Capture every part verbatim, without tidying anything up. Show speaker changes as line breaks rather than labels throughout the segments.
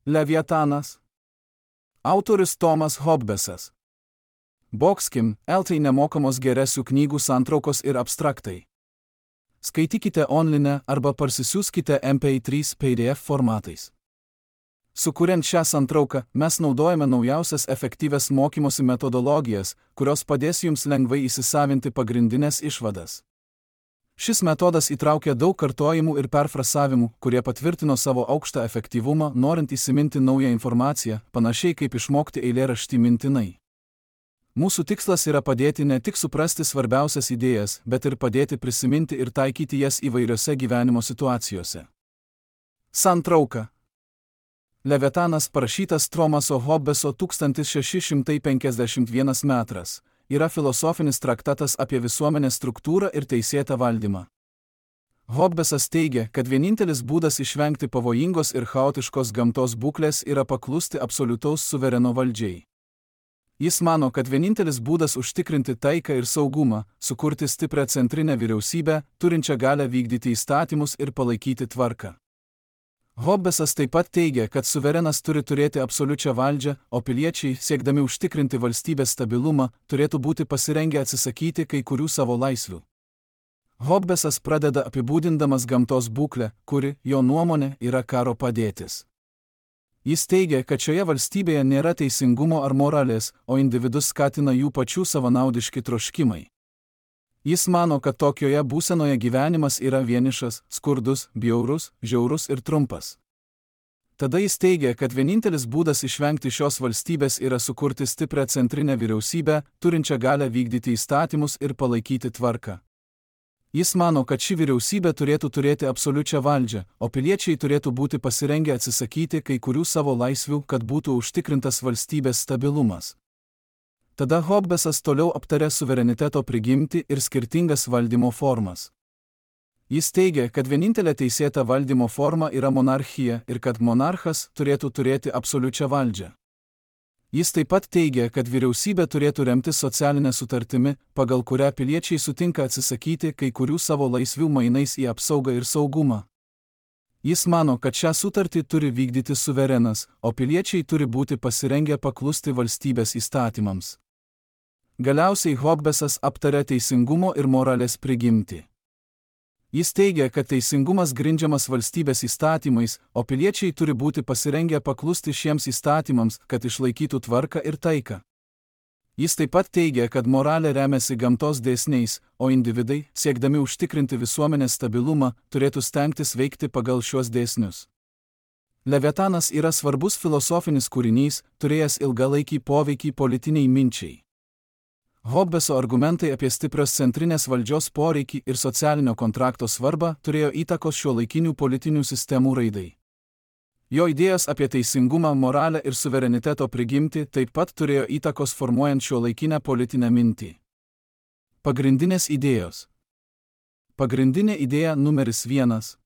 Leviatanas. Autorius Tomas Hobbesas. Boxkim, eltai nemokamos geresių knygų santraukos ir abstraktai. Skaitykite online arba parsisiųskite M P trys P D F formatais. Sukuriant šią santrauką, mes naudojame naujausias efektyvias mokymosi metodologijas, kurios padės jums lengvai įsisavinti pagrindinės išvadas. Šis metodas įtraukia daug kartojimų ir perfrasavimų, kurie patvirtino savo aukštą efektyvumą, norint įsiminti naują informaciją, panašiai kaip išmokti eilėraštį mintinai. Mūsų tikslas yra padėti ne tik suprasti svarbiausias idėjas, bet ir padėti prisiminti ir taikyti jas įvairiose gyvenimo situacijose. Santrauka. Leviatanas, parašytas Tomaso Hobbeso tūkstantis šeši šimtai penkiasdešimt vienas metras, yra filosofinis traktatas apie visuomenės struktūrą ir teisėtą valdymą. Hobbesas teigia, kad vienintelis būdas išvengti pavojingos ir chaotiškos gamtos būklės yra paklusti absoliutaus suvereno valdžiai. Jis mano, kad vienintelis būdas užtikrinti taiką ir saugumą – sukurti stiprią centrinę vyriausybę, turinčią galią vykdyti įstatymus ir palaikyti tvarką. Hobbesas taip pat teigia, kad suverenas turi turėti absoliučią valdžią, o piliečiai, siekdami užtikrinti valstybės stabilumą, turėtų būti pasirengę atsisakyti kai kurių savo laisvių. Hobbesas pradeda apibūdindamas gamtos būklę, kuri, jo nuomone, yra karo padėtis. Jis teigia, kad šioje valstybėje nėra teisingumo ar moralės, o individus skatina jų pačių savanaudiški troškimai. Jis mano, kad tokioje būsenoje gyvenimas yra vienišas, skurdus, bjaurus, žiaurus ir trumpas. Tada jis teigia, kad vienintelis būdas išvengti šios valstybės yra sukurti stiprią centrinę vyriausybę, turinčią galią vykdyti įstatymus ir palaikyti tvarką. Jis mano, kad ši vyriausybė turėtų turėti absoliučią valdžią, o piliečiai turėtų būti pasirengę atsisakyti kai kurių savo laisvių, kad būtų užtikrintas valstybės stabilumas. Tada Hobbesas toliau aptarė suvereniteto prigimtį ir skirtingas valdymo formas. Jis teigia, kad vienintelė teisėta valdymo forma yra monarchija ir kad monarchas turėtų turėti absoliučią valdžią. Jis taip pat teigia, kad vyriausybė turėtų remtis socialinę sutartimi, pagal kurią piliečiai sutinka atsisakyti kai kurių savo laisvių mainais į apsaugą ir saugumą. Jis mano, kad šią sutartį turi vykdyti suverenas, o piliečiai turi būti pasirengę paklusti valstybės įstatymams. Galiausiai Hobbesas aptarė teisingumo ir moralės prigimtį. Jis teigia, kad teisingumas grindžiamas valstybės įstatymais, o piliečiai turi būti pasirengę paklusti šiems įstatymams, kad išlaikytų tvarką ir taiką. Jis taip pat teigia, kad moralė remiasi gamtos dėsniais, o individai, siekdami užtikrinti visuomenės stabilumą, turėtų stengtis veikti pagal šiuos dėsnius. Leviatanas yra svarbus filosofinis kūrinys, turėjęs ilgalaikį poveikį politiniai minčiai. Hobbeso argumentai apie stiprios centrinės valdžios poreikį ir socialinio kontrakto svarbą turėjo įtakos šiuolaikinių politinių sistemų raidai. Jo idėjos apie teisingumą, moralę ir suvereniteto prigimtį taip pat turėjo įtakos formuojant šiuolaikinę politinę mintį. Pagrindinės idėjos. Pagrindinė idėja numeris vienas.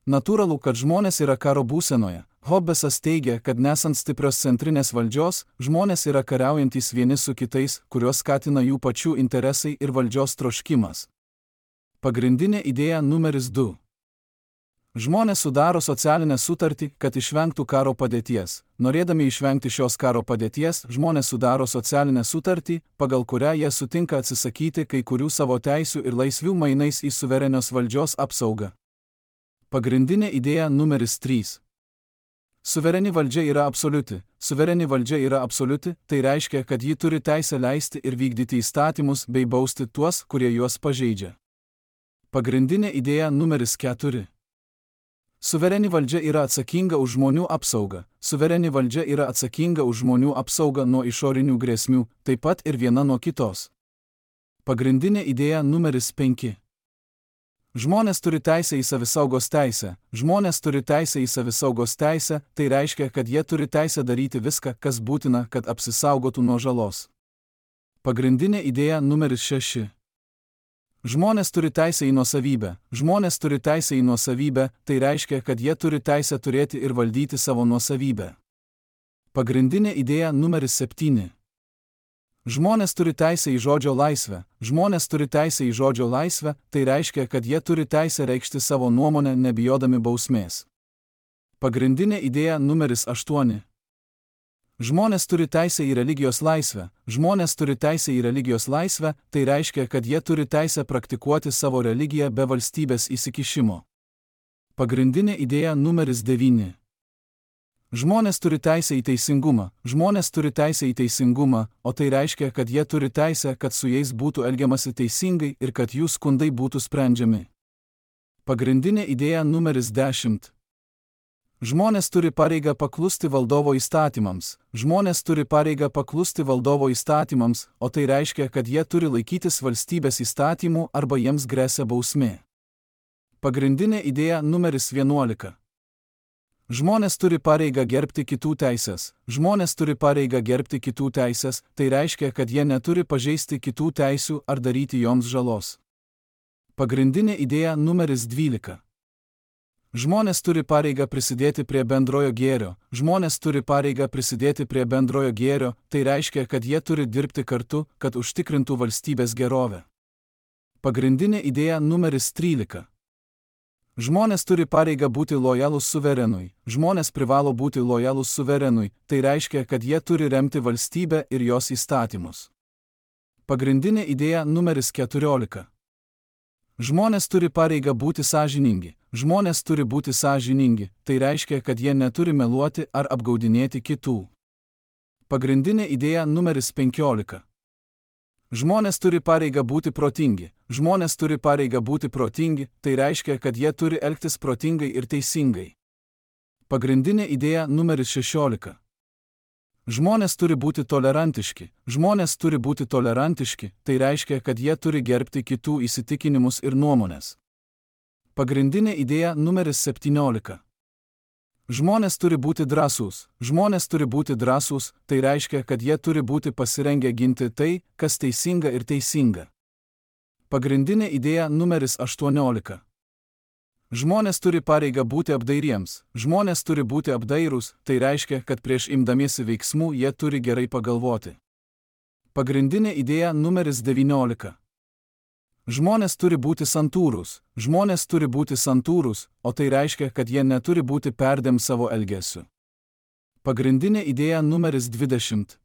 Natūralu, kad žmonės yra karo būsenoje. Hobbesas teigia, kad nesant stiprios centrinės valdžios, žmonės yra kariaujantys vieni su kitais, kuriuos skatina jų pačių interesai ir valdžios troškimas. Pagrindinė idėja numeris du. Žmonės sudaro socialinę sutartį, kad išvengtų karo padėties. Norėdami išvengti šios karo padėties, žmonės sudaro socialinę sutartį, pagal kurią jie sutinka atsisakyti kai kurių savo teisių ir laisvių mainais į suverenios valdžios apsaugą. Pagrindinė idėja numeris trys. Suvereni valdžia yra absoliuti. Suvereni valdžia yra absoliuti, tai reiškia, kad ji turi teisę leisti ir vykdyti įstatymus bei bausti tuos, kurie juos pažeidžia. Pagrindinė idėja numeris keturi. Suvereni valdžia yra atsakinga už žmonių apsaugą. Suvereni valdžia yra atsakinga už žmonių apsaugą nuo išorinių grėsmių, taip pat ir viena nuo kitos. Pagrindinė idėja numeris penki. Žmonės turi teisę į savisaugos teisę. Žmonės turi teisę į savisaugos teisę, tai reiškia, kad jie turi teisę daryti viską, kas būtina, kad apsisaugotų nuo žalos. Pagrindinė idėja numeris šeši. Žmonės turi teisę į nuosavybę. Žmonės turi teisę į nuosavybę, tai reiškia, kad jie turi teisę turėti ir valdyti savo nuosavybę. Pagrindinė idėja numeris septyni. Žmonės turi teisę į žodžio laisvę. Žmonės turi teisę į žodžio laisvę, tai reiškia, kad jie turi teisę reikšti savo nuomonę nebijodami bausmės. Pagrindinė idėja numeris aštuoni. Žmonės turi teisę į religijos laisvę. Žmonės turi teisę į religijos laisvę, tai reiškia, kad jie turi teisę praktikuoti savo religiją be valstybės įsikišimo. Pagrindinė idėja numeris devyni. Žmonės turi teisę į teisingumą. Žmonės turi teisę į teisingumą, o tai reiškia, kad jie turi teisę, kad su jais būtų elgiamasi teisingai ir kad jų skundai būtų sprendžiami. Pagrindinė idėja numeris dešimt. Žmonės turi pareigą paklusti valdovo įstatymams. Žmonės turi pareigą paklusti valdovo įstatymams, o tai reiškia, kad jie turi laikytis valstybės įstatymų arba jiems gresia bausmė. Pagrindinė idėja numeris vienuolika. Žmonės turi pareigą gerbti kitų teisės. Žmonės turi pareigą gerbti kitų teisės, tai reiškia, kad jie neturi pažeisti kitų teisių ar daryti joms žalos. Pagrindinė idėja numeris dvylika. Žmonės turi pareigą prisidėti prie bendrojo gėrio. Žmonės turi pareigą prisidėti prie bendrojo gėrio, tai reiškia, kad jie turi dirbti kartu, kad užtikrintų valstybės gerovę. Pagrindinė idėja numeris trylika. Žmonės turi pareigą būti lojalūs suverenui. Žmonės privalo būti lojalūs suverenui, tai reiškia, kad jie turi remti valstybę ir jos įstatymus. Pagrindinė idėja numeris keturiolika. Žmonės turi pareigą būti sąžiningi. Žmonės turi būti sąžiningi, tai reiškia, kad jie neturi meluoti ar apgaudinėti kitų. Pagrindinė idėja numeris penkiolika. Žmonės turi pareigą būti protingi. Žmonės turi pareigą būti protingi, tai reiškia, kad jie turi elgtis protingai ir teisingai. Pagrindinė idėja numeris šešiolika. Žmonės turi būti tolerantiški. Žmonės turi būti tolerantiški, tai reiškia, kad jie turi gerbti kitų įsitikinimus ir nuomonės. Pagrindinė idėja numeris septyniolika. Žmonės turi būti drąsūs. Žmonės turi būti drąsūs, tai reiškia, kad jie turi būti pasirengę ginti tai, kas teisinga ir teisinga. Pagrindinė idėja numeris aštuoniolika. Žmonės turi pareigą būti apdairiems. Žmonės turi būti apdairūs, tai reiškia, kad prieš imdamiesi veiksmų jie turi gerai pagalvoti. Pagrindinė idėja numeris devyniolika. Žmonės turi būti santūrūs. Žmonės turi būti santūrūs, o tai reiškia, kad jie neturi būti perdėm savo elgesiu. Pagrindinė idėja numeris dvidešimt.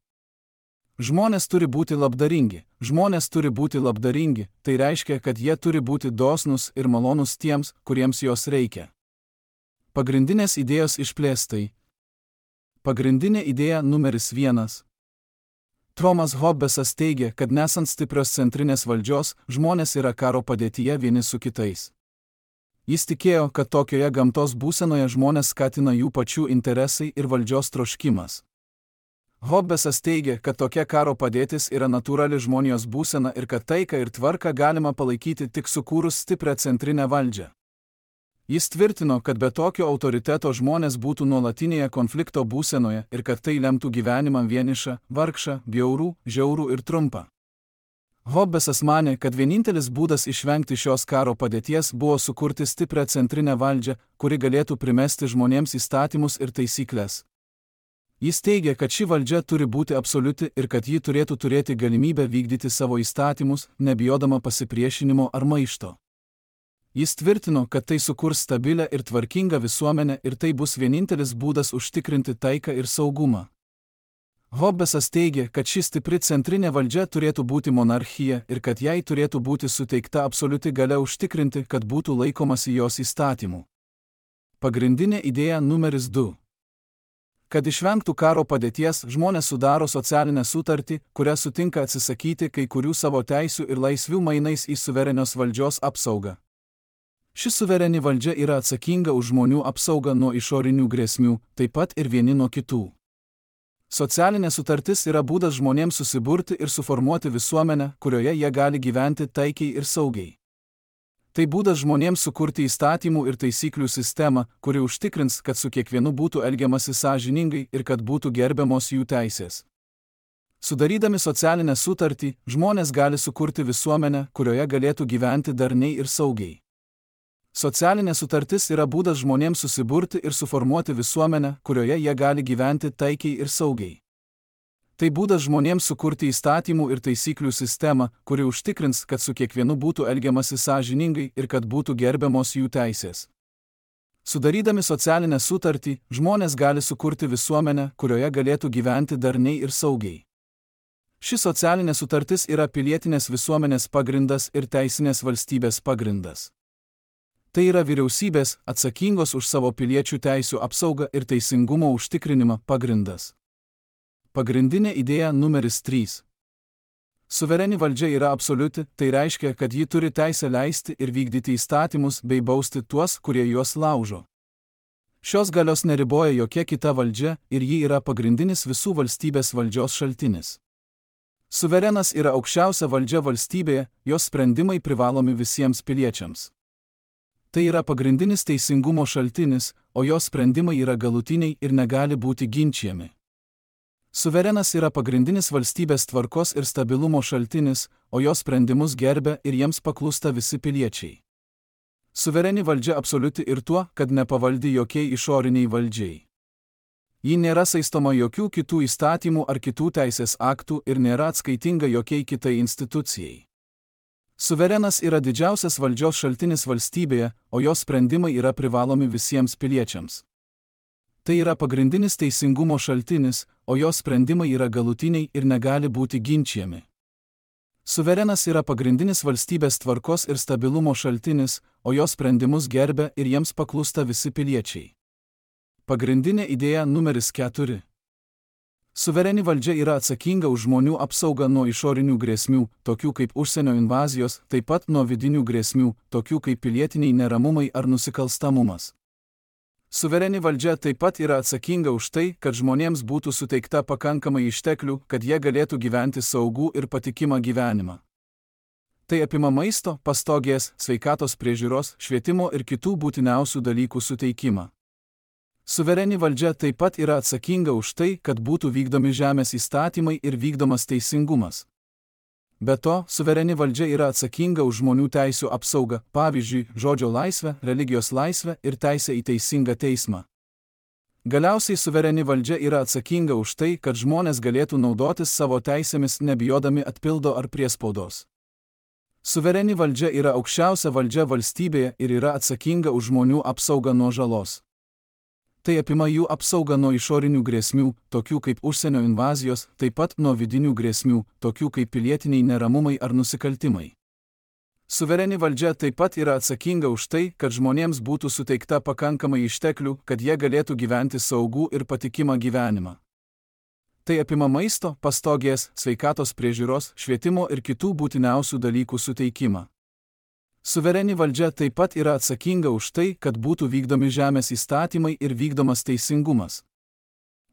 Žmonės turi būti labdaringi. Žmonės turi būti labdaringi, tai reiškia, kad jie turi būti dosnūs ir malonūs tiems, kuriems jos reikia. Pagrindinės idėjos išplėstai. Pagrindinė idėja numeris vienas. Thomas Hobbesas teigia, kad nesant stiprios centrinės valdžios, žmonės yra karo padėtyje vieni su kitais. Jis tikėjo, kad tokioje gamtos būsenoje žmonės skatina jų pačių interesai ir valdžios troškimas. Hobbesas teigia, kad tokia karo padėtis yra natūrali žmonijos būsena ir kad taiką ir tvarką galima palaikyti tik sukūrus stiprią centrinę valdžią. Jis tvirtino, kad be tokio autoriteto žmonės būtų nuolatinėje konflikto būsenoje ir kad tai lemtų gyvenimą vienišą, vargšą, bjaurų, žiaurų ir trumpą. Hobbesas manė, kad vienintelis būdas išvengti šios karo padėties buvo sukurti stiprią centrinę valdžią, kuri galėtų primesti žmonėms įstatymus ir taisyklės. Jis teigia, kad ši valdžia turi būti absoliuti ir kad ji turėtų turėti galimybę vykdyti savo įstatymus, nebijodama pasipriešinimo ar maišto. Jis tvirtino, kad tai sukurs stabilę ir tvarkingą visuomenę ir tai bus vienintelis būdas užtikrinti taiką ir saugumą. Hobbesas teigia, kad ši stipri centrinė valdžia turėtų būti monarchija ir kad jai turėtų būti suteikta absoliuti galia užtikrinti, kad būtų laikomasi jos įstatymų. Pagrindinė idėja numeris du. Kad išvengtų karo padėties, žmonės sudaro socialinę sutartį, kurią sutinka atsisakyti kai kurių savo teisių ir laisvių mainais į suverenios valdžios apsaugą. Ši suvereni valdžia yra atsakinga už žmonių apsaugą nuo išorinių grėsmių, taip pat ir vieni nuo kitų. Socialinė sutartis yra būdas žmonėms susiburti ir suformuoti visuomenę, kurioje jie gali gyventi taikiai ir saugiai. Tai būdas žmonėms sukurti įstatymų ir taisyklių sistemą, kuri užtikrins, kad su kiekvienu būtų elgiamasi sąžiningai ir kad būtų gerbiamos jų teisės. Sudarydami socialinę sutartį, žmonės gali sukurti visuomenę, kurioje galėtų gyventi darniai ir saugiai. Socialinė sutartis yra būdas žmonėms susiburti ir suformuoti visuomenę, kurioje jie gali gyventi taikiai ir saugiai. Tai būdas žmonėms sukurti įstatymų ir taisyklių sistemą, kuri užtikrins, kad su kiekvienu būtų elgiamasi sąžiningai ir kad būtų gerbiamos jų teisės. Sudarydami socialinę sutartį, žmonės gali sukurti visuomenę, kurioje galėtų gyventi darniai ir saugiai. Ši socialinė sutartis yra pilietinės visuomenės pagrindas ir teisinės valstybės pagrindas. Tai yra vyriausybės, atsakingos už savo piliečių teisių apsaugą ir teisingumo užtikrinimą pagrindas. Pagrindinė idėja numeris trys. Suvereni valdžia yra absoliuti, tai reiškia, kad ji turi teisę leisti ir vykdyti įstatymus bei bausti tuos, kurie juos laužo. Šios galios neriboja jokia kita valdžia ir ji yra pagrindinis visų valstybės valdžios šaltinis. Suverenas yra aukščiausia valdžia valstybėje, jos sprendimai privalomi visiems piliečiams. Tai yra pagrindinis teisingumo šaltinis, o jos sprendimai yra galutiniai ir negali būti ginčijami. Suverenas yra pagrindinis valstybės tvarkos ir stabilumo šaltinis, o jos sprendimus gerbia ir jiems paklūsta visi piliečiai. Suvereni valdžia absoliuti ir tuo, kad nepavaldi jokiai išoriniai valdžiai. Ji nėra saistoma jokių kitų įstatymų ar kitų teisės aktų ir nėra atskaitinga jokiai kitai institucijai. Suverenas yra didžiausias valdžios šaltinis valstybėje, o jos sprendimai yra privalomi visiems piliečiams. Tai yra pagrindinis teisingumo šaltinis, o jos sprendimai yra galutiniai ir negali būti ginčijami. Suverenas yra pagrindinis valstybės tvarkos ir stabilumo šaltinis, o jos sprendimus gerbia ir jiems paklūsta visi piliečiai. Pagrindinė idėja numeris keturi. Suvereni valdžia yra atsakinga už žmonių apsaugą nuo išorinių grėsmių, tokių kaip užsienio invazijos, taip pat nuo vidinių grėsmių, tokių kaip pilietiniai neramumai ar nusikalstamumas. Suvereni valdžia taip pat yra atsakinga už tai, kad žmonėms būtų suteikta pakankamai išteklių, kad jie galėtų gyventi saugų ir patikimą gyvenimą. Tai apima maisto, pastogės, sveikatos priežiūros, švietimo ir kitų būtiniausių dalykų suteikimą. Suvereni valdžia taip pat yra atsakinga už tai, kad būtų vykdomi žemės įstatymai ir vykdomas teisingumas. Be to, suvereni valdžia yra atsakinga už žmonių teisių apsaugą, pavyzdžiui, žodžio laisvę, religijos laisvę ir teisę į teisingą teismą. Galiausiai suvereni valdžia yra atsakinga už tai, kad žmonės galėtų naudotis savo teisėmis nebijodami atpildo ar priespaudos. Suvereni valdžia yra aukščiausia valdžia valstybėje ir yra atsakinga už žmonių apsaugą nuo žalos. Tai apima jų apsaugą nuo išorinių grėsmių, tokių kaip užsienio invazijos, taip pat nuo vidinių grėsmių, tokių kaip pilietiniai neramumai ar nusikaltimai. Suvereni valdžia taip pat yra atsakinga už tai, kad žmonėms būtų suteikta pakankamai išteklių, kad jie galėtų gyventi saugų ir patikimą gyvenimą. Tai apima maisto, pastogės, sveikatos priežiūros, švietimo ir kitų būtiniausių dalykų suteikimą. Suvereni valdžia taip pat yra atsakinga už tai, kad būtų vykdomi žemės įstatymai ir vykdomas teisingumas.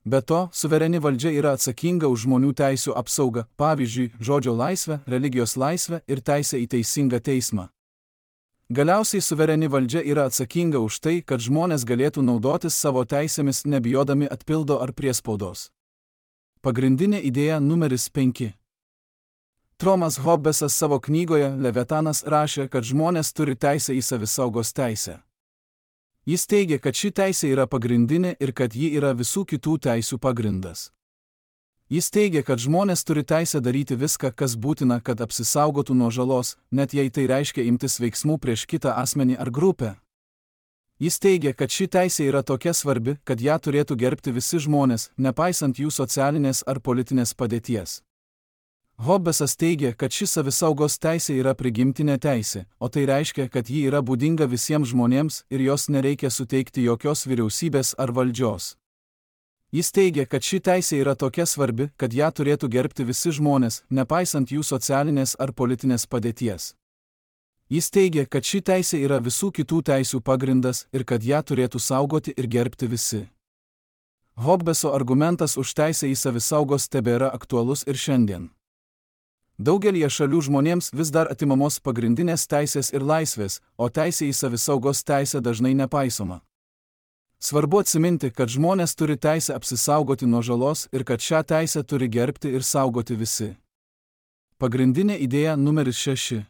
Be to, suvereni valdžia yra atsakinga už žmonių teisių apsaugą, pavyzdžiui, žodžio laisvę, religijos laisvę ir teisę į teisingą teismą. Galiausiai suvereni valdžia yra atsakinga už tai, kad žmonės galėtų naudotis savo teisėmis nebijodami atpildo ar priespaudos. Pagrindinė idėja numeris penki. Thomas Hobbesas savo knygoje Leviatanas rašė, kad žmonės turi teisę į savisaugos teisę. Jis teigia, kad ši teisė yra pagrindinė ir kad ji yra visų kitų teisių pagrindas. Jis teigia, kad žmonės turi teisę daryti viską, kas būtina, kad apsisaugotų nuo žalos, net jei tai reiškia imtis veiksmų prieš kitą asmenį ar grupę. Jis teigia, kad ši teisė yra tokia svarbi, kad ją turėtų gerbti visi žmonės, nepaisant jų socialinės ar politinės padėties. Hobbesas teigia, kad ši savisaugos teisė yra prigimtinė teisė, o tai reiškia, kad ji yra būdinga visiems žmonėms ir jos nereikia suteikti jokios vyriausybės ar valdžios. Jis teigia, kad ši teisė yra tokia svarbi, kad ją turėtų gerbti visi žmonės, nepaisant jų socialinės ar politinės padėties. Jis teigia, kad ši teisė yra visų kitų teisių pagrindas ir kad ją turėtų saugoti ir gerbti visi. Hobbeso argumentas už teisę į savisaugos tebėra aktualus ir šiandien. Daugelie šalių žmonėms vis dar atimamos pagrindinės teisės ir laisvės, o teisė į savisaugos teisę dažnai nepaisoma. Svarbu atsiminti, kad žmonės turi teisę apsisaugoti nuo žalos ir kad šią teisę turi gerbti ir saugoti visi. Pagrindinė idėja numeris šeši.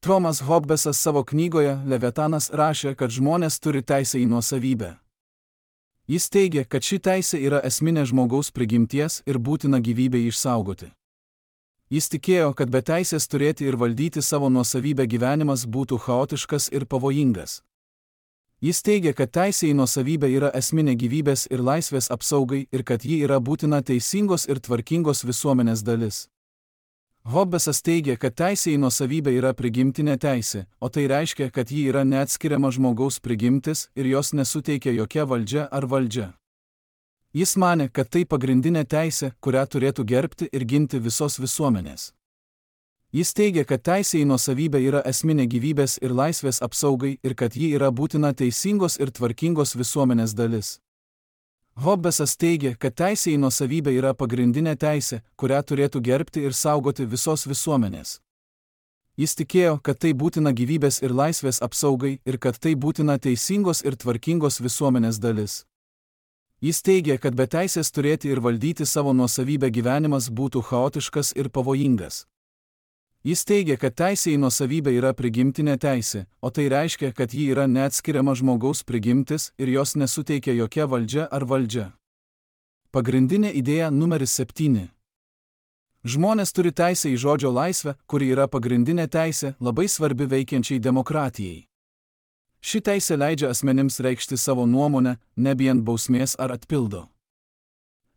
Thomas Hobbesas savo knygoje Leviatanas rašė, kad žmonės turi teisę į nuosavybę. Jis teigia, kad ši teisė yra esminė žmogaus prigimties ir būtina gyvybei išsaugoti. Jis tikėjo, kad be teisės turėti ir valdyti savo nuosavybę gyvenimas būtų chaotiškas ir pavojingas. Jis teigia, kad teisė į nuosavybę yra esminė gyvybės ir laisvės apsaugai ir kad ji yra būtina teisingos ir tvarkingos visuomenės dalis. Hobbesas teigia, kad teisė į nuosavybę yra prigimtinė teisė, o tai reiškia, kad ji yra neatskiriama žmogaus prigimtis ir jos nesuteikia jokia valdžia ar valdžia. Jis manė, kad tai pagrindinė teisė, kurią turėtų gerbti ir ginti visos visuomenės. Jis teigia, kad teisė į nuosavybę yra esminė gyvybės ir laisvės apsaugai ir kad ji yra būtina teisingos ir tvarkingos visuomenės dalis. Hobbesas teigia, kad teisė į nuosavybę yra pagrindinė teisė, kurią turėtų gerbti ir saugoti visos visuomenės. Jis tikėjo, kad tai būtina gyvybės ir laisvės apsaugai ir kad tai būtina teisingos ir tvarkingos visuomenės dalis. Jis teigia, kad be teisės turėti ir valdyti savo nuosavybę gyvenimas būtų chaotiškas ir pavojingas. Jis teigia, kad teisė į nuosavybę yra prigimtinė teisė, o tai reiškia, kad ji yra neatskiriama žmogaus prigimtis ir jos nesuteikia jokia valdžia ar valdžia. Pagrindinė idėja numeris septyni. Žmonės turi teisę į žodžio laisvę, kuri yra pagrindinė teisė, labai svarbi veikiančiai demokratijai. Ši teisė leidžia asmenims reikšti savo nuomonę, nebijant bausmės ar atpildo.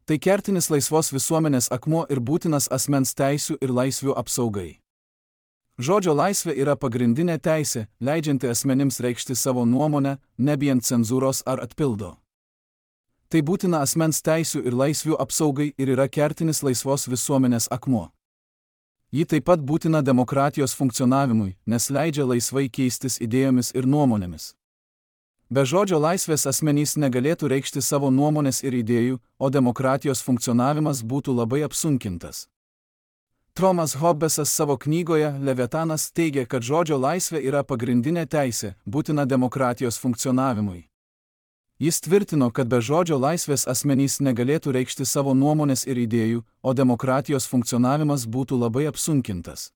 Tai kertinis laisvos visuomenės akmuo ir būtinas asmens teisių ir laisvių apsaugai. Žodžio laisvė yra pagrindinė teisė, leidžianti asmenims reikšti savo nuomonę, nebijant cenzūros ar atpildo. Tai būtina asmens teisių ir laisvių apsaugai ir yra kertinis laisvos visuomenės akmuo. Ji taip pat būtina demokratijos funkcionavimui, nes leidžia laisvai keistis idėjomis ir nuomonėmis. Be žodžio laisvės asmenys negalėtų reikšti savo nuomonės ir idėjų, o demokratijos funkcionavimas būtų labai apsunkintas. Thomas Hobbesas savo knygoje Leviatanas teigia, kad žodžio laisvė yra pagrindinė teisė, būtina demokratijos funkcionavimui. Jis tvirtino, kad be žodžio laisvės asmenys negalėtų reikšti savo nuomonės ir idėjų, o demokratijos funkcionavimas būtų labai apsunkintas.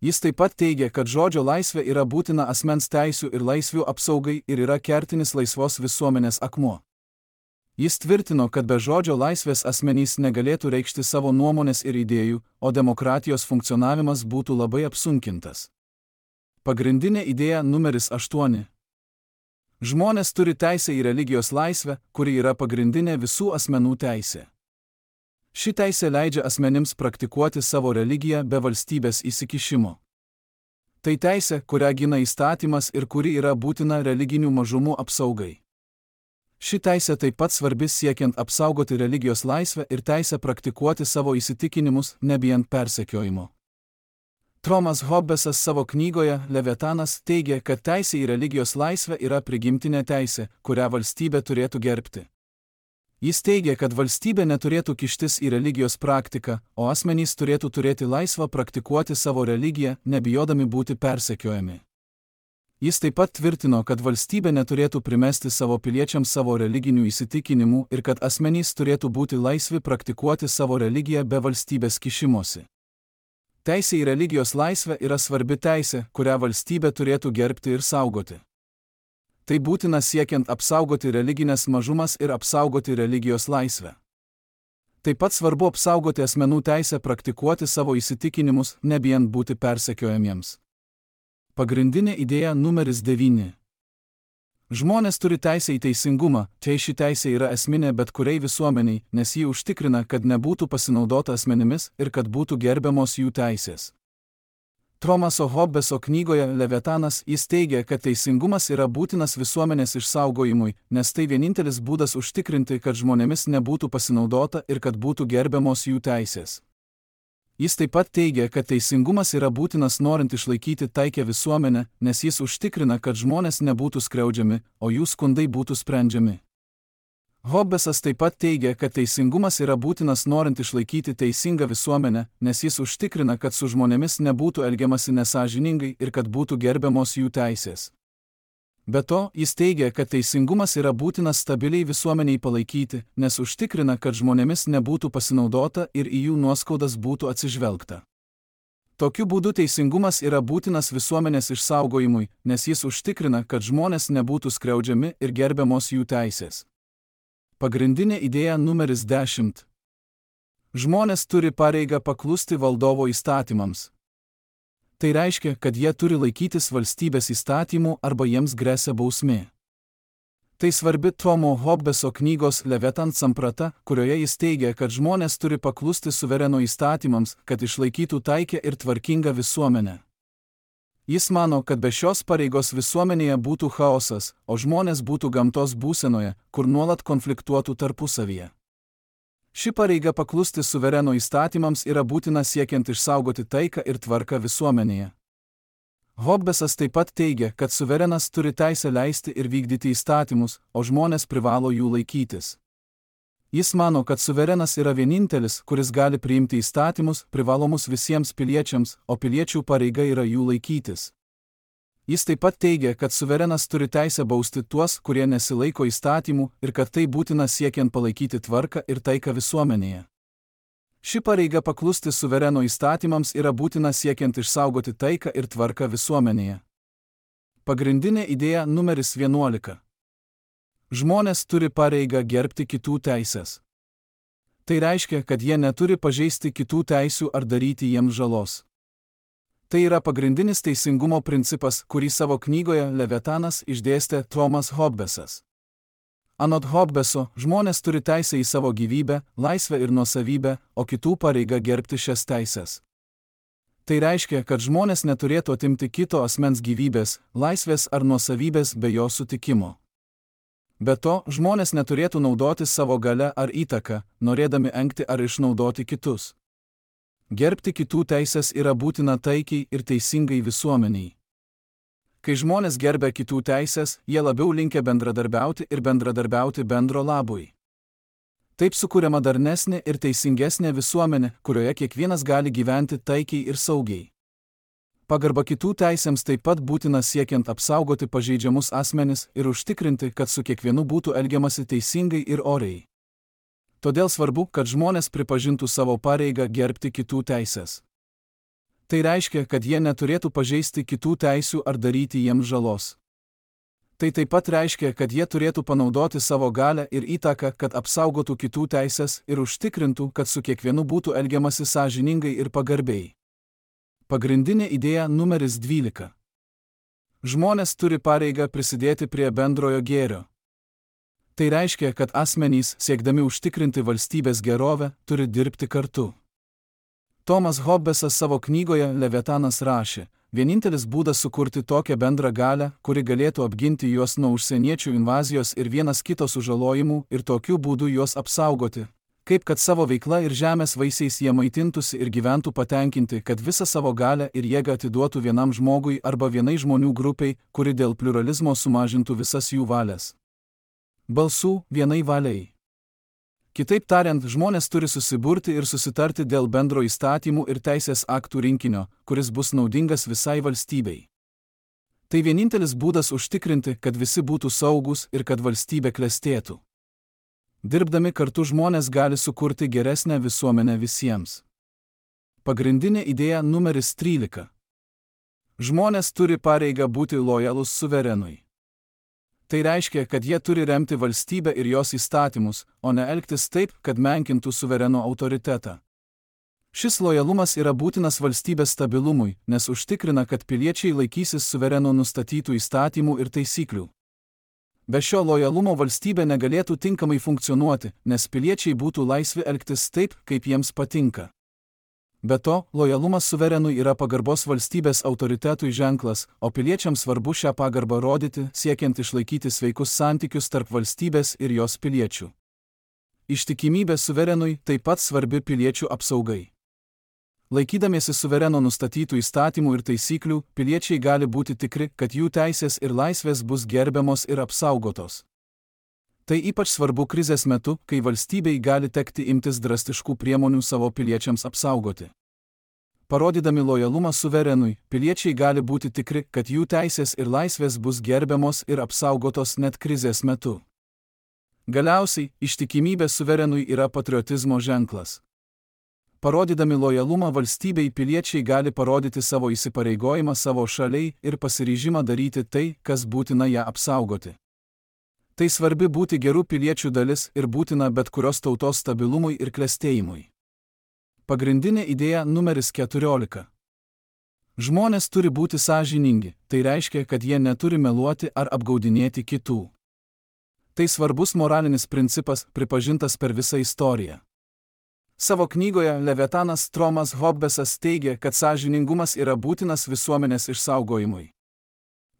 Jis taip pat teigia, kad žodžio laisvė yra būtina asmens teisių ir laisvių apsaugai ir yra kertinis laisvos visuomenės akmuo. Jis tvirtino, kad be žodžio laisvės asmenys negalėtų reikšti savo nuomonės ir idėjų, o demokratijos funkcionavimas būtų labai apsunkintas. Pagrindinė idėja numeris aštuoni. Žmonės turi teisę į religijos laisvę, kuri yra pagrindinė visų asmenų teisė. Ši teisė leidžia asmenims praktikuoti savo religiją be valstybės įsikišimo. Tai teisė, kurią gina įstatymas ir kuri yra būtina religinių mažumų apsaugai. Ši teisė taip pat svarbi siekiant apsaugoti religijos laisvę ir teisę praktikuoti savo įsitikinimus, nebijant persekiojimo. Thomas Hobbesas savo knygoje Leviatanas teigia, kad teisė į religijos laisvę yra prigimtinė teisė, kurią valstybė turėtų gerbti. Jis teigia, kad valstybė neturėtų kištis į religijos praktiką, o asmenys turėtų turėti laisvą praktikuoti savo religiją, nebijodami būti persekiojami. Jis taip pat tvirtino, kad valstybė neturėtų primesti savo piliečiams savo religinių įsitikinimų ir kad asmenys turėtų būti laisvi praktikuoti savo religiją be valstybės kišimosi. Teisė į religijos laisvę yra svarbi teisė, kurią valstybė turėtų gerbti ir saugoti. Tai būtina siekiant apsaugoti religinės mažumas ir apsaugoti religijos laisvę. Taip pat svarbu apsaugoti asmenų teisę praktikuoti savo įsitikinimus, nebijant būti persekiojamiems. Pagrindinė idėja numeris devyni. Žmonės turi teisę į teisingumą, čia ši teisė yra esminė bet kuriai visuomeniai, nes ji užtikrina, kad nebūtų pasinaudota asmenimis ir kad būtų gerbiamos jų teisės. Thomaso Hobbeso knygoje Leviatanas jis teigia, kad teisingumas yra būtinas visuomenės išsaugojimui, nes tai vienintelis būdas užtikrinti, kad žmonėmis nebūtų pasinaudota ir kad būtų gerbiamos jų teisės. Jis taip pat teigia, kad teisingumas yra būtinas norint išlaikyti taikę visuomenę, nes jis užtikrina, kad žmonės nebūtų skriaudžiami, o jų skundai būtų sprendžiami. Hobbesas taip pat teigia, kad teisingumas yra būtinas norint išlaikyti teisingą visuomenę, nes jis užtikrina, kad su žmonėmis nebūtų elgiamasi nesąžiningai ir kad būtų gerbiamos jų teisės. Be to, jis teigia, kad teisingumas yra būtinas stabiliai visuomeniai palaikyti, nes užtikrina, kad žmonėmis nebūtų pasinaudota ir į jų nuoskaudas būtų atsižvelgta. Tokiu būdu teisingumas yra būtinas visuomenės išsaugojimui, nes jis užtikrina, kad žmonės nebūtų skriaudžiami ir gerbiamos jų teisės. Pagrindinė idėja numeris dešimt. Žmonės turi pareigą paklusti valdovo įstatymams. Tai reiškia, kad jie turi laikytis valstybės įstatymų arba jiems gresia bausmė. Tai svarbi Tomo Hobbeso knygos Leviatan samprata, kurioje jis teigia, kad žmonės turi paklusti suvereno įstatymams, kad išlaikytų taikę ir tvarkingą visuomenę. Jis mano, kad be šios pareigos visuomenėje būtų chaosas, o žmonės būtų gamtos būsenoje, kur nuolat konfliktuotų tarpusavyje. Ši pareiga paklusti suvereno įstatymams yra būtina siekiant išsaugoti taiką ir tvarką visuomenėje. Hobbesas taip pat teigia, kad suverenas turi teisę leisti ir vykdyti įstatymus, o žmonės privalo jų laikytis. Jis mano, kad suverenas yra vienintelis, kuris gali priimti įstatymus, privalomus visiems piliečiams, o piliečių pareiga yra jų laikytis. Jis taip pat teigia, kad suverenas turi teisę bausti tuos, kurie nesilaiko įstatymų, ir kad tai būtina siekiant palaikyti tvarką ir taiką visuomenėje. Ši pareiga paklusti suvereno įstatymams yra būtina siekiant išsaugoti taiką ir tvarką visuomenėje. Pagrindinė idėja numeris vienuolika. Žmonės turi pareigą gerbti kitų teises. Tai reiškia, kad jie neturi pažeisti kitų teisių ar daryti jiems žalos. Tai yra pagrindinis teisingumo principas, kurį savo knygoje Leviatanas išdėstė Tomas Hobbesas. Anot Hobbeso, žmonės turi teisę į savo gyvybę, laisvę ir nuosavybę, o kitų pareiga gerbti šias teises. Tai reiškia, kad žmonės neturėtų atimti kito asmens gyvybės, laisvės ar nuosavybės be jo sutikimo. Be to, žmonės neturėtų naudoti savo galią ar įtaką, norėdami engti ar išnaudoti kitus. Gerbti kitų teises yra būtina taikiai ir teisingai visuomeniai. Kai žmonės gerbia kitų teises, jie labiau linkę bendradarbiauti ir bendradarbiauti bendro labui. Taip sukuriama darnesnė ir teisingesnė visuomenė, kurioje kiekvienas gali gyventi taikiai ir saugiai. Pagarba kitų teisėms taip pat būtina siekiant apsaugoti pažeidžiamus asmenis ir užtikrinti, kad su kiekvienu būtų elgiamasi teisingai ir oriai. Todėl svarbu, kad žmonės pripažintų savo pareigą gerbti kitų teises. Tai reiškia, kad jie neturėtų pažeisti kitų teisių ar daryti jiems žalos. Tai taip pat reiškia, kad jie turėtų panaudoti savo galią ir įtaką, kad apsaugotų kitų teises ir užtikrintų, kad su kiekvienu būtų elgiamasi sąžiningai ir pagarbiai. Pagrindinė idėja numeris dvylika. Žmonės turi pareigą prisidėti prie bendrojo gėrio. Tai reiškia, kad asmenys, siekdami užtikrinti valstybės gerovę, turi dirbti kartu. Tomas Hobbesas savo knygoje Leviatanas rašė, vienintelis būdas sukurti tokią bendrą galią, kuri galėtų apginti juos nuo užsieniečių invazijos ir vienas kito sužalojimų ir tokiu būdu juos apsaugoti, kaip kad savo veikla ir žemės vaisiais jie maitintųsi ir gyventų patenkinti, kad visą savo galią ir jėgą atiduotų vienam žmogui arba vienai žmonių grupiai, kuri dėl pluralizmo sumažintų visas jų valias. Balsų vienai valiai. Kitaip tariant, žmonės turi susiburti ir susitarti dėl bendro įstatymų ir teisės aktų rinkinio, kuris bus naudingas visai valstybei. Tai vienintelis būdas užtikrinti, kad visi būtų saugūs ir kad valstybė klestėtų. Dirbdami kartu žmonės gali sukurti geresnę visuomenę visiems. Pagrindinė idėja numeris trylika. Žmonės turi pareigą būti lojalūs suverenui. Tai reiškia, kad jie turi remti valstybę ir jos įstatymus, o ne elgtis taip, kad menkintų suvereno autoritetą. Šis lojalumas yra būtinas valstybės stabilumui, nes užtikrina, kad piliečiai laikysis suvereno nustatytų įstatymų ir taisyklių. Be šio lojalumo valstybė negalėtų tinkamai funkcionuoti, nes piliečiai būtų laisvi elgtis taip, kaip jiems patinka. Be to, lojalumas suverenui yra pagarbos valstybės autoritetui ženklas, o piliečiams svarbu šią pagarbą rodyti, siekiant išlaikyti sveikus santykius tarp valstybės ir jos piliečių. Ištikimybė suverenui taip pat svarbi piliečių apsaugai. Laikydamiesi suvereno nustatytų įstatymų ir taisyklių, piliečiai gali būti tikri, kad jų teisės ir laisvės bus gerbiamos ir apsaugotos. Tai ypač svarbu krizės metu, kai valstybei gali tekti imtis drastiškų priemonių savo piliečiams apsaugoti. Parodydami lojalumą suverenui, piliečiai gali būti tikri, kad jų teisės ir laisvės bus gerbiamos ir apsaugotos net krizės metu. Galiausiai, ištikimybė suverenui yra patriotizmo ženklas. Parodydami lojalumą valstybei, piliečiai gali parodyti savo įsipareigojimą savo šaliai ir pasiryžimą daryti tai, kas būtina ją apsaugoti. Tai svarbi būti gerų piliečių dalis ir būtina bet kurios tautos stabilumui ir klestėjimui. Pagrindinė idėja numeris keturiolika. Žmonės turi būti sąžiningi, tai reiškia, kad jie neturi meluoti ar apgaudinėti kitų. Tai svarbus moralinis principas, pripažintas per visą istoriją. Savo knygoje Leviatanas Thomas Hobbesas teigia, kad sąžiningumas yra būtinas visuomenės išsaugojimui.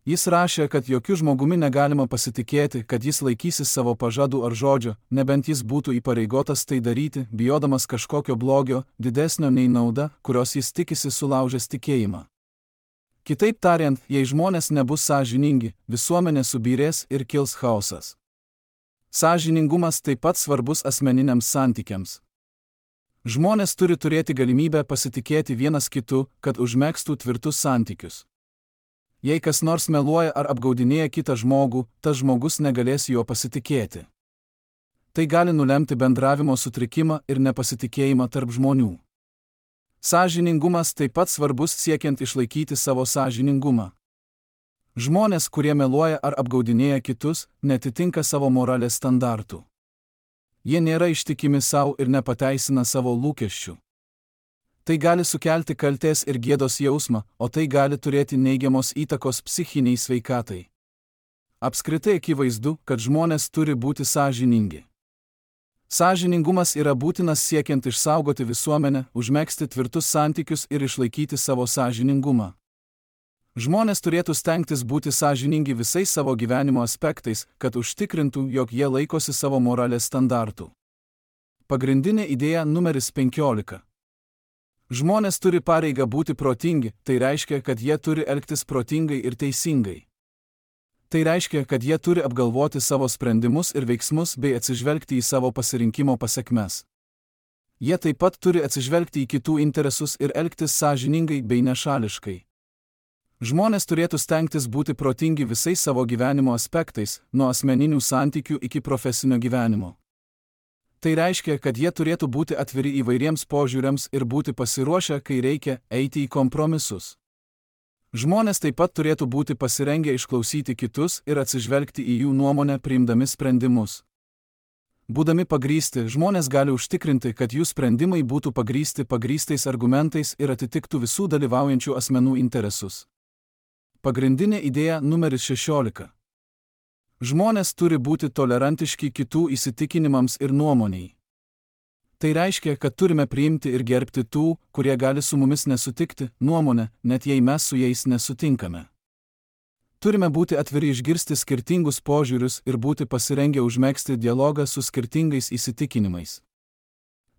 Jis rašė, kad jokių žmogumi negalima pasitikėti, kad jis laikysis savo pažadų ar žodžio, nebent jis būtų įpareigotas tai daryti, bijodamas kažkokio blogio, didesnio nei nauda, kurios jis tikisi sulaužęs tikėjimą. Kitaip tariant, jei žmonės nebus sąžiningi, visuomenė subyrės ir kils chaosas. Sąžiningumas taip pat svarbus asmeniniams santykiams. Žmonės turi turėti galimybę pasitikėti vienas kitu, kad užmegztų tvirtus santykius. Jei kas nors meluoja ar apgaudinėja kitą žmogų, tas žmogus negalės juo pasitikėti. Tai gali nulemti bendravimo sutrikimą ir nepasitikėjimą tarp žmonių. Sąžiningumas taip pat svarbus siekiant išlaikyti savo sąžiningumą. Žmonės, kurie meluoja ar apgaudinėja kitus, netitinka savo moralės standartų. Jie nėra ištikimi savo ir nepateisina savo lūkesčių. Tai gali sukelti kaltės ir gėdos jausmą, o tai gali turėti neigiamos įtakos psichiniai sveikatai. Apskritai akivaizdu, kad žmonės turi būti sąžiningi. Sąžiningumas yra būtinas siekiant išsaugoti visuomenę, užmegzti tvirtus santykius ir išlaikyti savo sąžiningumą. Žmonės turėtų stengtis būti sąžiningi visais savo gyvenimo aspektais, kad užtikrintų, jog jie laikosi savo moralės standartų. Pagrindinė idėja numeris penkiolika. Žmonės turi pareigą būti protingi, tai reiškia, kad jie turi elgtis protingai ir teisingai. Tai reiškia, kad jie turi apgalvoti savo sprendimus ir veiksmus bei atsižvelgti į savo pasirinkimo pasekmes. Jie taip pat turi atsižvelgti į kitų interesus ir elgtis sąžiningai bei nešališkai. Žmonės turėtų stengtis būti protingi visais savo gyvenimo aspektais, nuo asmeninių santykių iki profesinio gyvenimo. Tai reiškia, kad jie turėtų būti atviri įvairiems požiūriams ir būti pasiruošę, kai reikia, eiti į kompromisus. Žmonės taip pat turėtų būti pasirengę išklausyti kitus ir atsižvelgti į jų nuomonę priimdami sprendimus. Būdami pagrįsti, žmonės gali užtikrinti, kad jų sprendimai būtų pagrįsti pagrįstais argumentais ir atitiktų visų dalyvaujančių asmenų interesus. Pagrindinė idėja numeris šešiolika. Žmonės turi būti tolerantiški kitų įsitikinimams ir nuomoniai. Tai reiškia, kad turime priimti ir gerbti tų, kurie gali su mumis nesutikti, nuomonę, net jei mes su jais nesutinkame. Turime būti atviri išgirsti skirtingus požiūrius ir būti pasirengę užmegzti dialogą su skirtingais įsitikinimais.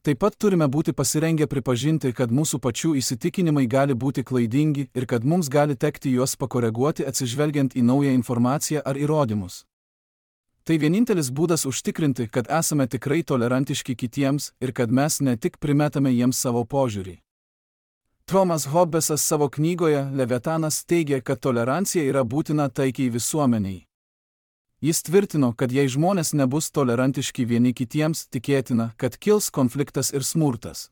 Taip pat turime būti pasirengę pripažinti, kad mūsų pačių įsitikinimai gali būti klaidingi ir kad mums gali tekti juos pakoreguoti atsižvelgiant į naują informaciją ar įrodymus. Tai vienintelis būdas užtikrinti, kad esame tikrai tolerantiški kitiems ir kad mes ne tik primetame jiems savo požiūrį. Thomas Hobbesas savo knygoje Leviatanas teigia, kad tolerancija yra būtina taikiai visuomeniai. Jis tvirtino, kad jei žmonės nebus tolerantiški vieni kitiems, tikėtina, kad kils konfliktas ir smurtas.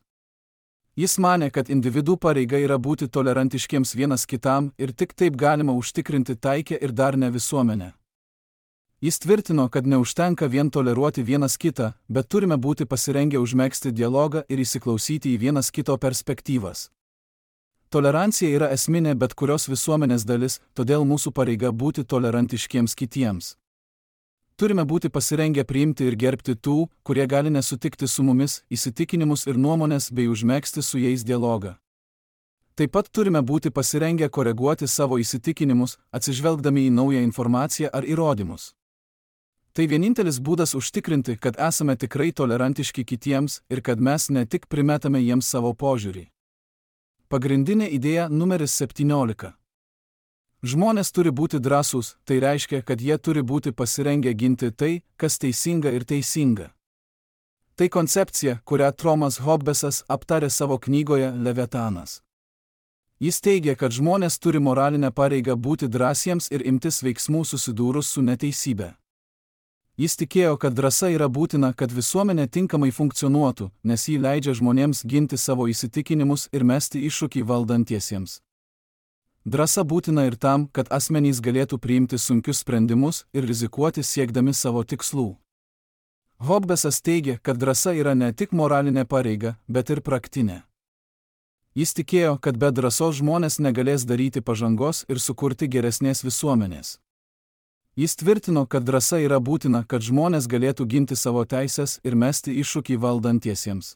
Jis manė, kad individų pareiga yra būti tolerantiškiems vienas kitam ir tik taip galima užtikrinti taikę ir darnią visuomenę. Jis tvirtino, kad neužtenka vien toleruoti vienas kitą, bet turime būti pasirengę užmegzti dialogą ir įsiklausyti į vienas kito perspektyvas. Tolerancija yra esminė bet kurios visuomenės dalis, todėl mūsų pareiga būti tolerantiškiems kitiems. Turime būti pasirengę priimti ir gerbti tų, kurie gali nesutikti su mumis, įsitikinimus ir nuomonės bei užmegzti su jais dialogą. Taip pat turime būti pasirengę koreguoti savo įsitikinimus, atsižvelgdami į naują informaciją ar įrodymus. Tai vienintelis būdas užtikrinti, kad esame tikrai tolerantiški kitiems ir kad mes ne tik primetame jiems savo požiūrį. Pagrindinė idėja numeris septyniolika. Žmonės turi būti drąsūs, tai reiškia, kad jie turi būti pasirengę ginti tai, kas teisinga ir teisinga. Tai koncepcija, kurią Thomas Hobbesas aptarė savo knygoje Leviatanas. Jis teigia, kad žmonės turi moralinę pareigą būti drąsiems ir imtis veiksmų susidūrus su neteisybe. Jis tikėjo, kad drąsa yra būtina, kad visuomenė tinkamai funkcionuotų, nes ji leidžia žmonėms ginti savo įsitikinimus ir mesti iššūkį valdantiesiems. Drąsa būtina ir tam, kad asmenys galėtų priimti sunkius sprendimus ir rizikuoti siekdami savo tikslų. Hobbesas teigia, kad drąsa yra ne tik moralinė pareiga, bet ir praktinė. Jis tikėjo, kad be drąsos žmonės negalės daryti pažangos ir sukurti geresnės visuomenės. Jis tvirtino, kad drąsa yra būtina, kad žmonės galėtų ginti savo teisės ir mesti iššūkį valdantiesiems.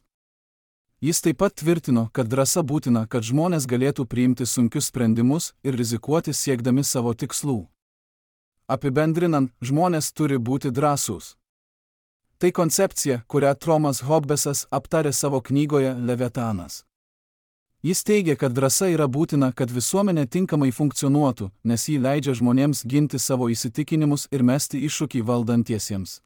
Jis taip pat tvirtino, kad drąsa būtina, kad žmonės galėtų priimti sunkius sprendimus ir rizikuoti siekdami savo tikslų. Apibendrinant, žmonės turi būti drąsūs. Tai koncepcija, kurią Thomas Hobbesas aptarė savo knygoje Leviatanas. Jis teigia, kad drąsa yra būtina, kad visuomenė tinkamai funkcionuotų, nes ji leidžia žmonėms ginti savo įsitikinimus ir mesti iššūkį valdantiesiems.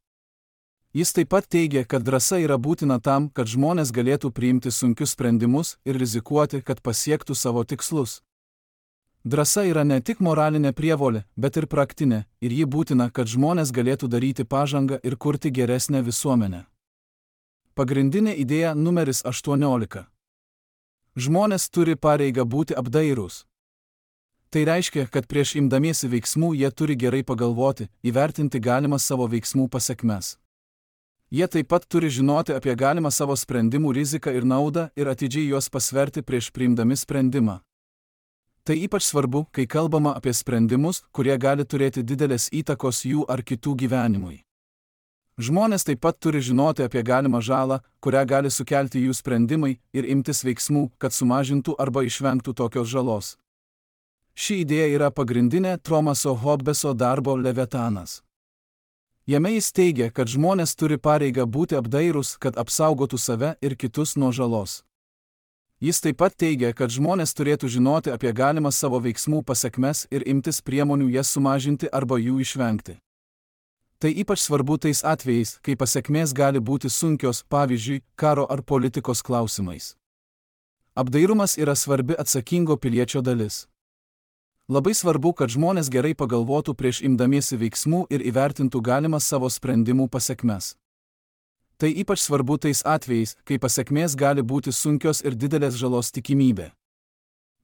Jis taip pat teigia, kad drąsa yra būtina tam, kad žmonės galėtų priimti sunkius sprendimus ir rizikuoti, kad pasiektų savo tikslus. Drąsa yra ne tik moralinė prievolė, bet ir praktinė, ir ji būtina, kad žmonės galėtų daryti pažangą ir kurti geresnę visuomenę. Pagrindinė idėja numeris aštuoniolika. Žmonės turi pareigą būti apdairūs. Tai reiškia, kad prieš imdamiesi veiksmų jie turi gerai pagalvoti, įvertinti galimas savo veiksmų pasekmes. Jie taip pat turi žinoti apie galimą savo sprendimų riziką ir naudą ir atidžiai juos pasverti prieš priimdami sprendimą. Tai ypač svarbu, kai kalbama apie sprendimus, kurie gali turėti didelės įtakos jų ar kitų gyvenimui. Žmonės taip pat turi žinoti apie galimą žalą, kurią gali sukelti jų sprendimai ir imtis veiksmų, kad sumažintų arba išvengtų tokios žalos. Ši idėja yra pagrindinė Thomaso Hobbeso darbo Leviatanas. Jame jis teigia, kad žmonės turi pareigą būti apdairūs, kad apsaugotų save ir kitus nuo žalos. Jis taip pat teigia, kad žmonės turėtų žinoti apie galimas savo veiksmų pasekmes ir imtis priemonių jas sumažinti arba jų išvengti. Tai ypač svarbu tais atvejais, kai pasekmės gali būti sunkios, pavyzdžiui, karo ar politikos klausimais. Apdairumas yra svarbi atsakingo piliečio dalis. Labai svarbu, kad žmonės gerai pagalvotų prieš imdamiesi veiksmų ir įvertintų galimas savo sprendimų pasekmes. Tai ypač svarbu tais atvejais, kai pasekmės gali būti sunkios ir didelės žalos tikimybė.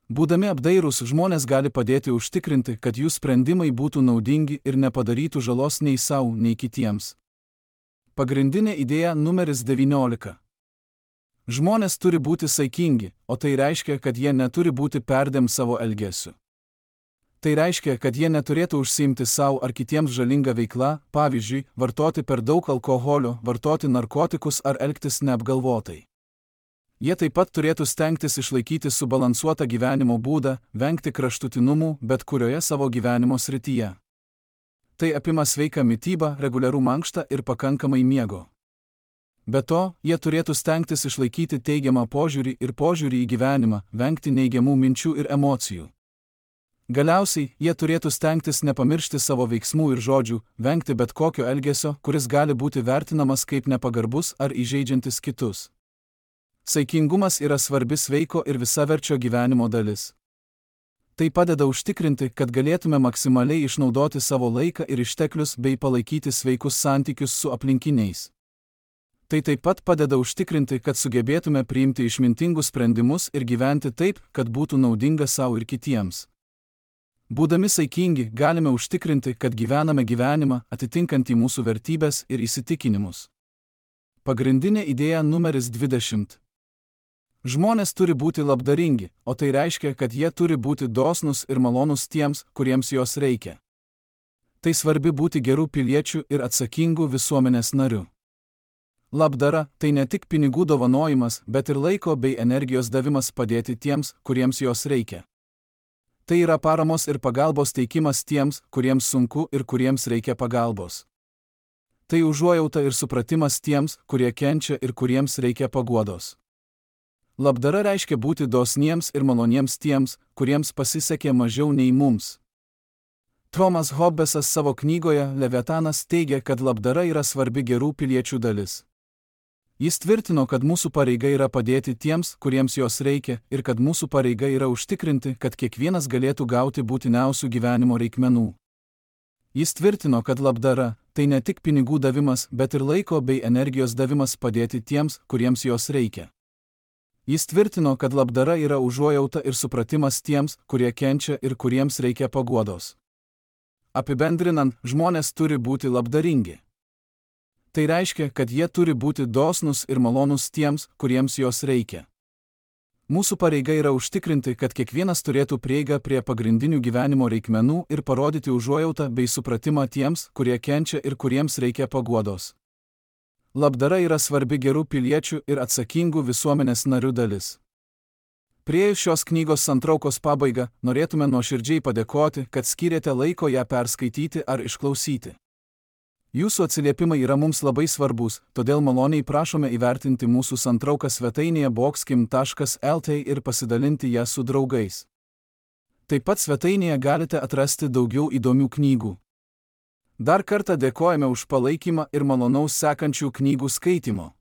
Būdami apdairūs, žmonės gali padėti užtikrinti, kad jų sprendimai būtų naudingi ir nepadarytų žalos nei savo, nei kitiems. Pagrindinė idėja numeris devyniolika. Žmonės turi būti saikingi, o tai reiškia, kad jie neturi būti perdėm savo elgesiu. Tai reiškia, kad jie neturėtų užsiimti savo ar kitiems žalingą veiklą, pavyzdžiui, vartoti per daug alkoholio, vartoti narkotikus ar elgtis neapgalvotai. Jie taip pat turėtų stengtis išlaikyti subalansuotą gyvenimo būdą, vengti kraštutinumų bet kurioje savo gyvenimo srityje. Tai apima sveiką mitybą, reguliarų mankštą ir pakankamai miego. Be to, jie turėtų stengtis išlaikyti teigiamą požiūrį ir požiūrį į gyvenimą, vengti neigiamų minčių ir emocijų. Galiausiai, jie turėtų stengtis nepamiršti savo veiksmų ir žodžių, vengti bet kokio elgesio, kuris gali būti vertinamas kaip nepagarbus ar įžeidžiantis kitus. Saikingumas yra svarbi sveiko ir visaverčio gyvenimo dalis. Tai padeda užtikrinti, kad galėtume maksimaliai išnaudoti savo laiką ir išteklius bei palaikyti sveikus santykius su aplinkiniais. Tai taip pat padeda užtikrinti, kad sugebėtume priimti išmintingus sprendimus ir gyventi taip, kad būtų naudinga savo ir kitiems. Būdami saikingi, galime užtikrinti, kad gyvename gyvenimą, atitinkantį mūsų vertybės ir įsitikinimus. Pagrindinė idėja numeris dvidešimt. Žmonės turi būti labdaringi, o tai reiškia, kad jie turi būti dosnūs ir malonūs tiems, kuriems jos reikia. Tai svarbi būti gerų piliečių ir atsakingų visuomenės narių. Labdara – tai ne tik pinigų dovanojimas, bet ir laiko bei energijos davimas padėti tiems, kuriems jos reikia. Tai yra paramos ir pagalbos teikimas tiems, kuriems sunku ir kuriems reikia pagalbos. Tai užuojauta ir supratimas tiems, kurie kenčia ir kuriems reikia paguodos. Labdara reiškia būti dosniems ir maloniems tiems, kuriems pasisekė mažiau nei mums. Thomas Hobbesas savo knygoje Leviatanas teigia, kad labdara yra svarbi gerų piliečių dalis. Jis tvirtino, kad mūsų pareiga yra padėti tiems, kuriems jos reikia, ir kad mūsų pareiga yra užtikrinti, kad kiekvienas galėtų gauti būtiniausių gyvenimo reikmenų. Jis tvirtino, kad labdara – tai ne tik pinigų davimas, bet ir laiko bei energijos davimas padėti tiems, kuriems jos reikia. Jis tvirtino, kad labdara yra užuojauta ir supratimas tiems, kurie kenčia ir kuriems reikia paguodos. Apibendrinant, žmonės turi būti labdaringi. Tai reiškia, kad jie turi būti dosnūs ir malonūs tiems, kuriems jos reikia. Mūsų pareiga yra užtikrinti, kad kiekvienas turėtų prieigą prie pagrindinių gyvenimo reikmenų ir parodyti užuojautą bei supratimą tiems, kurie kenčia ir kuriems reikia paguodos. Labdara yra svarbi gerų piliečių ir atsakingų visuomenės narių dalis. Priėjus šios knygos santraukos pabaigą, norėtume nuoširdžiai padėkoti, kad skyrėte laiko ją perskaityti ar išklausyti. Jūsų atsiliepimai yra mums labai svarbus, todėl maloniai prašome įvertinti mūsų santrauką svetainėje boxkim taškas lt ir pasidalinti ją su draugais. Taip pat svetainėje galite atrasti daugiau įdomių knygų. Dar kartą dėkojame už palaikymą ir malonaus sekančių knygų skaitimo.